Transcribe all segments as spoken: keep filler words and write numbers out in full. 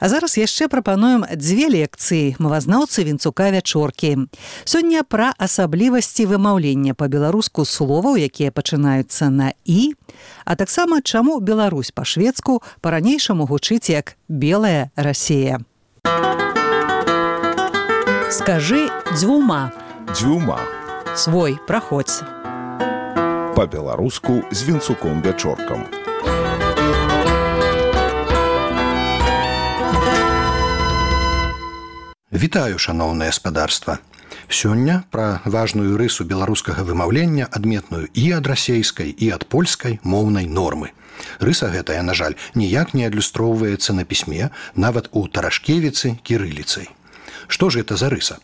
А зараз яшчэ прапануем дзве лекцыі мовазнаўцы Вінцука Вячоркі. Сёння пра асаблівасці вымаўлення па-беларуску словаў, якія пачынаюцца на «і», а таксама чаму Беларусь па-шведску па-ранейшаму гучыць як «белая Расія». Скажы дзвюма. Дзвюма. Свой, праходзь. Па-беларуску з Вінцуком Вячоркам. Вітаю, шаноўнае спадарства. Сёння пра важную рысу беларускага вымаўлення, адметную і ад расейскай, і ад польскай моўнай нормы. Рыса гэтая, на жаль, ніяк не адлюстроўваецца на пісьме, нават у Тарашкевіцы кірыліцай. Што ж гэта за рыса?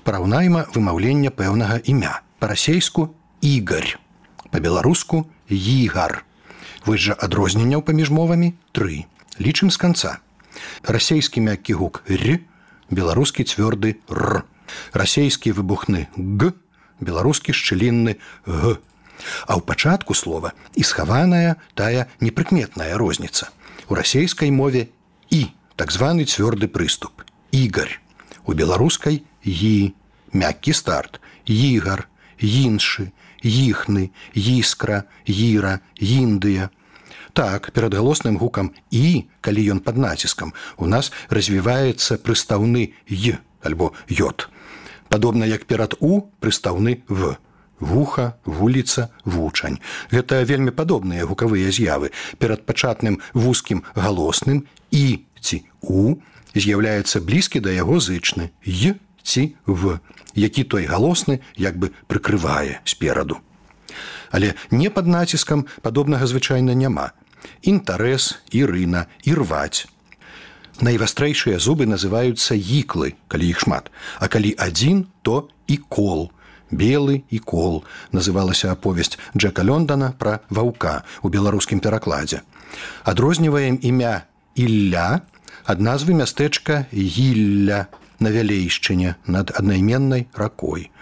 Параўнайма вымаўленне пэўнага імя. Па-расейску Ігар, па-беларуску Ігар. Вось жа адрозненняў паміж мовамі тры. Лічым з канца. Расейскі мяккі гук «р», беларускі цвёрды «р». Расейскі выбухны «г», беларускі шчылінны «г». А ў пачатку слова і схаваная тая непрыкметная розніца. У расейскай мове «і», так званы цвёрды прыступ «Ігар». У беларускай «ї», мяккі старт «Ігар», «іншы», «іхны», «іскра», «іра», «індыя». Так, перад галосным гукам «і», калі ён пад націскам, у нас развіваецца прыстаўны «й» альбо «йот». Падобна як перад «у» прыстаўны «в». Вуха, вуліца, вучань. Гэта вельмі падобныя гукавыя з'явы. Перад пачатным вузкім галосным «і» ці «у» з'яўляецца блізкі да яго зычны «й» ці «в», які той галосны як бы прыкрывае спераду. Але не пад націскам падобнага звычайна няма. Інтарэс, ірына, ірваць. Найвастрэйшыя зубы называюцца іклы, калі іх шмат, а калі адзін, то ікол. Белы ікол называлася аповесць Джека Лондона пра ваўка у беларускім перакладзе. Адрозніваем імя Ілля ад назвы мястэчка Гілля на Вялейшчыне над аднайменнай ракой.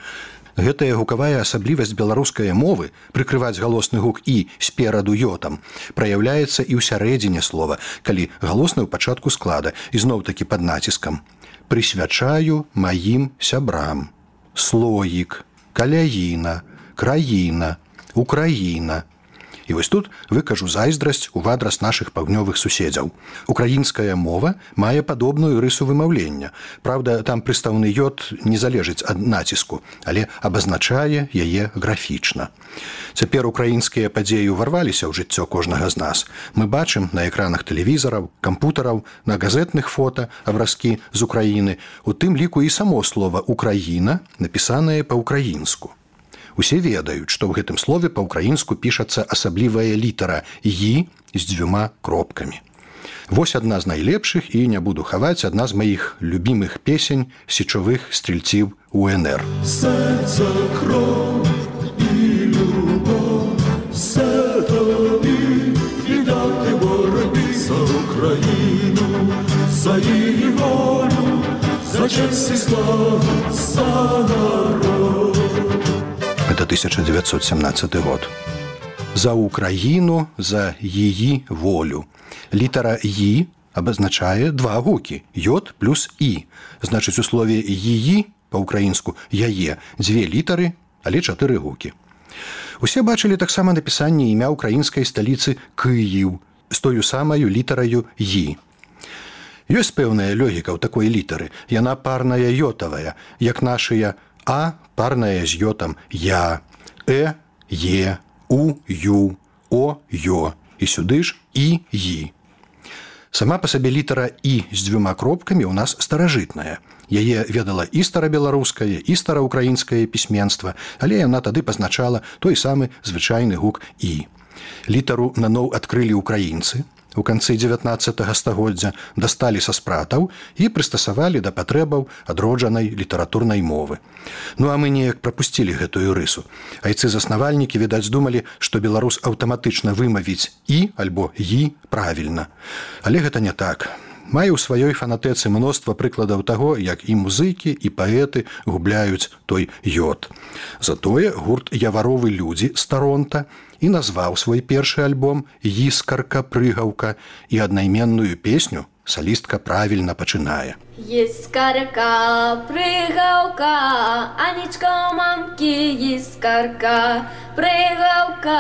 Гэтая гукавая асаблівасць беларускай мовы прыкрываць галосны гук «і» спераду «йотам» праяўляецца і ў сярэдзіне слова, калі галосны ў пачатку склада, і зноў-такі пад націскам. Прысвячаю маім сябрам. Слоік, каляіна, краіна, украіна. І вось тут выкажу зайздрасць у адрас нашых паўднёвых суседзяў. Украінская мова мае падобную рысу вымаўлення. Праўда, там прыстаўны «йот» не залежыць ад націску, але абазначае яе графічна. Цяпер украінскія падзеі ўварваліся ў жыццё кожнага з нас. Мы бачым на экранах тэлевізараў, кампутараў, на газетных фота абразкі з Украіны, у тым ліку і само слова «Украіна», напісанае па-ўкраінску. Усе ведаюць, што ў гэтым слове па-ўкраінску пішацца асаблівая літара «ї» з дзвюма кропкамі. Вось адна з найлепшых, і не буду хаваць, адна з маіх любімых песень сечовых стрільців УНР. Серце, кров і любов, все тобі віддати боротьбі за Україну, за її волю, за честь і славу, за народ. Это тысяча девятьсот семнадцатый год. За Украину, за її волю. Літара «ї» обозначае два гукі – «йот» плюс «і». Значыць, у слове «її» па-ўкраінску «яе» дзве літары, але чатыры гукі. Усе бачылі таксама напісанне імя украінскай сталіцы Кыіў з тою самаю літараю «ї». Ёсць пэўная логіка ў такой літары. Яна парная йотавая, як нашыя «а» парная з йотам «я», «э», «е», «у», «ю», «о», «ё» і сюды ж «і», «ї». Сама па сабе літара «і» з дзвюма кропкамі ў нас старажытная. Яе ведала і старабеларускае, і стараўкраінскае пісьменства, але яна тады пазначала той самы звычайны гук «і». Літару наноў адкрылі ўкраінцы. У канцы дзевятнаццатага стагоддзя дасталі са спратаў і прыстасавалі да патрэбаў адроджанай літаратурнай мовы. Ну а мы неяк прапусцілі гэтую рысу. Айцы-заснавальнікі, відаць, думалі, што беларус аўтаматычна вымавіць «і» альбо «ї» правільна. Але гэта не так. Мае ў сваёй фанатэцы мноства прыкладаў таго, як і музыкі, і паэты губляюць той «йот». Затое гурт «Яваровы людзі» з Таронта і назваў свой першы альбом «Іскарка-прыгаўка» і аднайменную песню салістка правільна пачынае. Іскарка, прыгаўка, Анічка ў мамкі, іскарка, прыгаўка,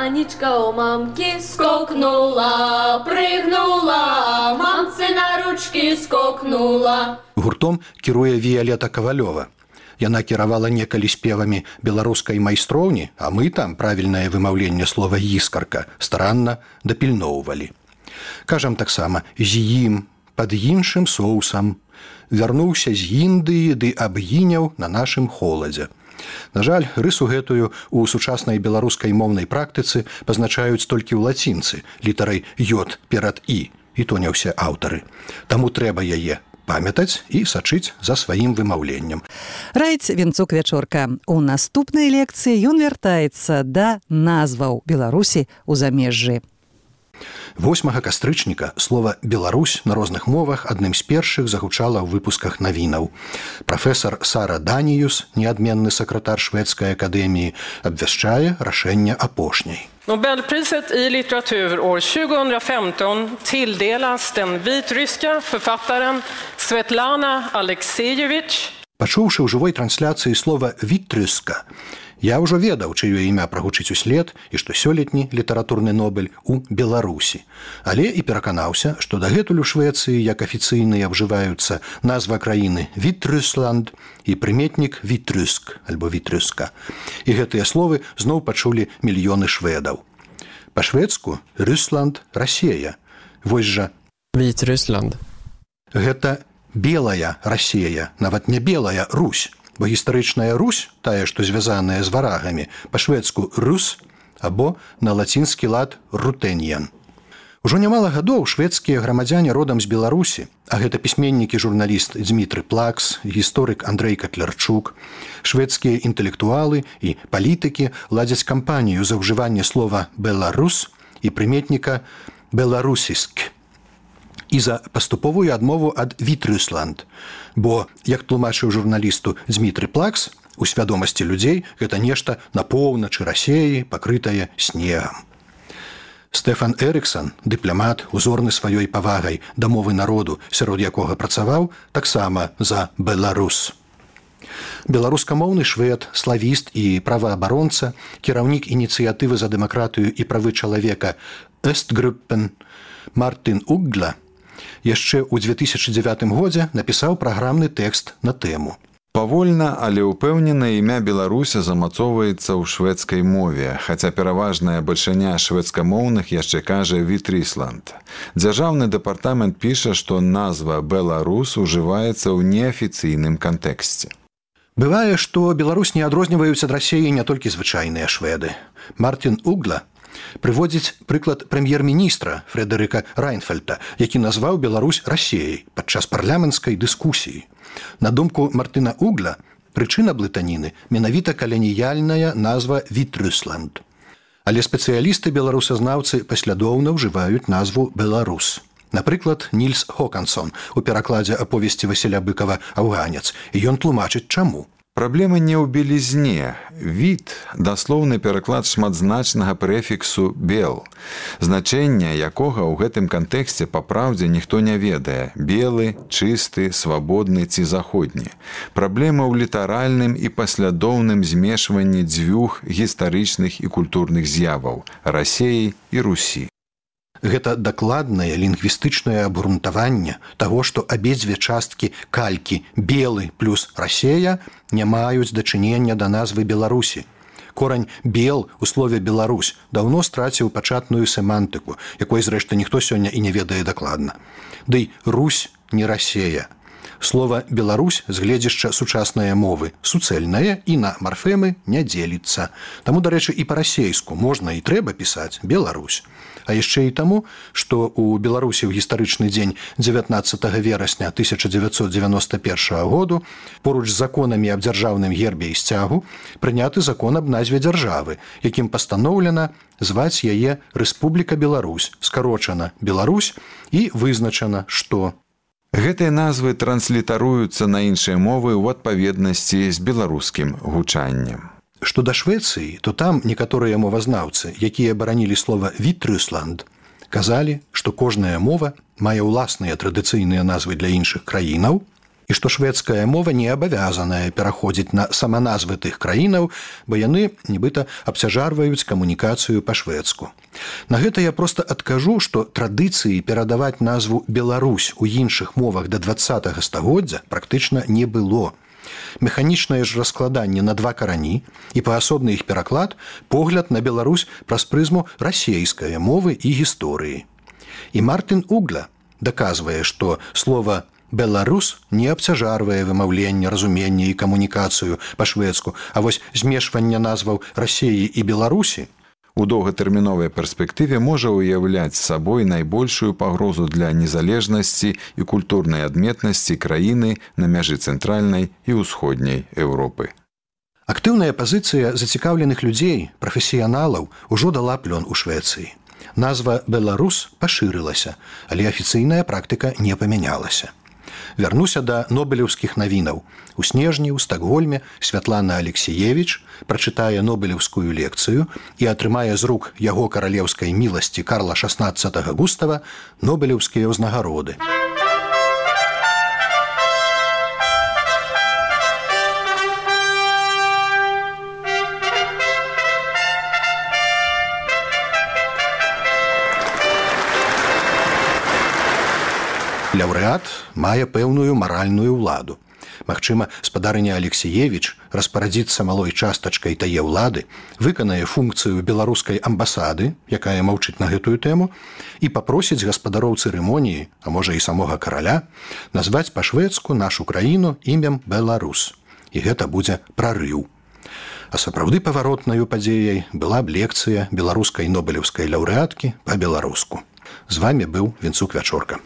Анічка ў мамкі, скокнула, прыгнула, мамцы на ручкі скокнула. Гуртом кіруе Віялета Кавалёва. Яна кіравала некалі спевамі беларускай майстроўні, а мы там правільнае вымаўленне слова «іскарка» старанна дапільноўвалі. Кажам таксама «з ім», «пад іншым соусам», «вярнуўся з Індыі ды абгіняў на нашым холадзе». На жаль, рысу гэтую ў сучаснай беларускай моўнай практыцы пазначаюць толькі ў лацінцы літарай «й» перад «і», і то не ўсе аўтары. Таму трэба яе памятаць і сачыць за сваім вымаўленнем. Раіць Вінцук Вячорка. У наступнай лекцыі ён вяртаецца да назваў Беларусі ў замежжы. восьмага кастрычніка слова «Беларусь» на розных мовах адным з першых загучала ў выпусках навінаў. Прафесар Сара Даніюс, неадменны сакратар шведскай акадэміі, абвяшчае рашэнне апошняй. Nobelpriset i litteratur år tjugo femton tilldelas den vitryska författaren Svetlana Aleksejevich. Пачуўшы ў жывой трансляцыі слова «вітрыска», я ўжо ведаў, чыё імя прагучыць услед і што сёлетні літаратурны Нобель у Беларусі. Але і пераканаўся, што дагэтуль у Швецыі як афіцыйныя ўжываюцца назва краіны «Вітрысланд» і прыметнік «вітрыск» альбо «вітрыска». І гэтыя словы зноў пачулі мільёны шведаў. Па-шведску «Рысланд» – Расея. Вось жа «Вітрысланд». Гэта белая Расея, нават не белая Русь. Бо гістарычная Русь, тая, што звязаная з варагамі, па-шведску «рус» або на лацінскі лад «рутэньян». Ужо нямала гадоў шведскія грамадзяне родам з Беларусі, а гэта пісьменнік і журналіст Дзмітры Плакс, гісторык Андрэй Катлярчук, шведскія інтэлектуалы і палітыкі ладзяць кампанію за ўжыванне слова «беларус» і прыметніка «беларусіск» і за паступовую адмову ад «Вітрысланд». Бо, як тлумачыў журналісту Дзмітры Плакс, у свядомасці людзей гэта нешта на поўначы Расеі, пакрытае снегам. Стэфан Эрыксан, дыпламат, узорны сваёй павагай да мовы народу, сярод якога працаваў, таксама за «беларус». Беларускамоўны швед, славіст і праваабаронца, кіраўнік ініцыятывы за дэмакратыю і правы чалавека «Эстгруппен» Мартин Уггла яшчэ ў дзве тысячы дзевятым годзе напісаў праграмны тэкст на тэму. Павольна, але ўпэўнена імя Беларуся замацоўваецца ў шведскай мове, хаця пераважная бальшыня шведскамоўных яшчэ кажа «Вітрысланд». Дзяржаўны дэпартамент піша, што назва «Беларус» ужываецца ў неафіцыйным кантэксце. Бывае, што Беларусь не адрозніваюць ад Расеі не толькі звычайныя шведы. Мартин Уггла прыводзіць прыклад прэм'ер-міністра Фрэдэрыка Райнфельта, які назваў Беларусь Расеяй падчас парламенцкай дыскусіі. На думку Мартына Уггла, прычына блытаніны менавіта каланіяльная назва «Вітрысланд». Але спецыялісты беларусазнаўцы паслядоўна ўжываюць назву «Беларус». Напрыклад, Нільс Хокансон у перакладзе аповесці Васіля Быкава «Афганец», і ён тлумачыць чаму. Праблема не ў белізне. Від – даслоўны пераклад шматзначнага прэфіксу «бел», значэння якога ў гэтым кантэксце па праўдзе ніхто не ведае – белы, чысты, свабодны ці заходні. Праблема ў літаральным і паслядоўным змешванні дзвюх гістарычных і культурных з'яваў – Расеі і Русі. Гэта дакладнае лінгвістычнае абгрунтаванне таго, што абедзве часткі калькі «белы» плюс «Расея» не маюць дачынення да назвы Беларусі. Корань «бел» у слове «Беларусь» даўно страціў пачатную семантыку, якой, зрэшты, ніхто сёння і не ведае дакладна. Дый «Русь» не «Расея». Слова «Беларусь» з гледзяшча сучаснае мовы суцэльнае і на марфемы не дзеліцца. Таму, дарэчы, і па-расейску можна і трэба пісаць «Беларусь». А яшчэ і таму, што ў Беларусі ў гістарычны дзень дзевятнаццатага верасня тысяча дзевяцьсот дзевяноста першага году поруч з законамі аб дзяржаўным гербе і сцягу прыняты закон аб назве дзяржавы, якім пастаноўлена зваць яе Рэспубліка Беларусь, скарочана «Беларусь» і вызначана, што гэтыя назвы транслітаруюцца на іншыя мовы ў адпаведнасці з беларускім гучаннем. Што да Швецыі, то там некаторыя мовазнаўцы, якія баранілі слова «Вітрысланд», Казалі, што кожная мова мае ўласныя традыцыйныя назвы для іншых краінаў, і што шведская мова не абавязаная пераходзіць на саманазвы тых краінаў, бо яны, нібыта, абцяжарваюць камунікацыю па-шведску. На гэта я проста адкажу, што традыцыі перадаваць назву «Беларусь» у іншых мовах да дваццатага стагоддзя практычна не было. Механічнае ж раскладанне на два карані і паасобны іх пераклад погляд на Беларусь праз прызму расейскай мовы і гісторыі. І Мартин Угля даказвае, што слова «Беларус» не абцяжарвае вымаўленне, разуменне і камунікацыю па-шведску, а вось змешванне назваў Расеі і Беларусі у доўгатэрміновай перспектыве можа ўяўляць сабой найбольшую пагрозу для незалежнасці і культурнай адметнасці краіны на мяжы цэнтральнай і ўсходняй Еўропы. Актыўная пазіцыя зацікаўленых людзей, прафесіяналаў, ужо дала плён у Швецыі. Назва «Беларус» пашырылася, але афіцыйная практыка не памянялася. Вярнуся да нобелеўскіх навінаў. У снежні ў Стакгольме Святлана Алексіевіч прачытае нобелеўскую лекцыю і атрымае з рук яго каралеўскай міласці Карла шаснаццатага Густава нобелеўскія ўзнагароды. Лаўрэат мае пэўную маральную ўладу. Магчыма, спадарыня Алексіевіч распарадзіцца малой частачкай тае ўлады, выканае функцыю беларускай амбасады, якая маўчыць на гэтую тэму, і папросіць гаспадароў цырымоніі, а можа і самога караля, назваць па-шведску нашу краіну імем Беларус. І гэта будзе прарыў. А сапраўды паваротнаю падзеяй была б лекцыя беларускай нобелеўскай лаўрэаткі па-беларуску. З вамі быў Вінцук Вячорка.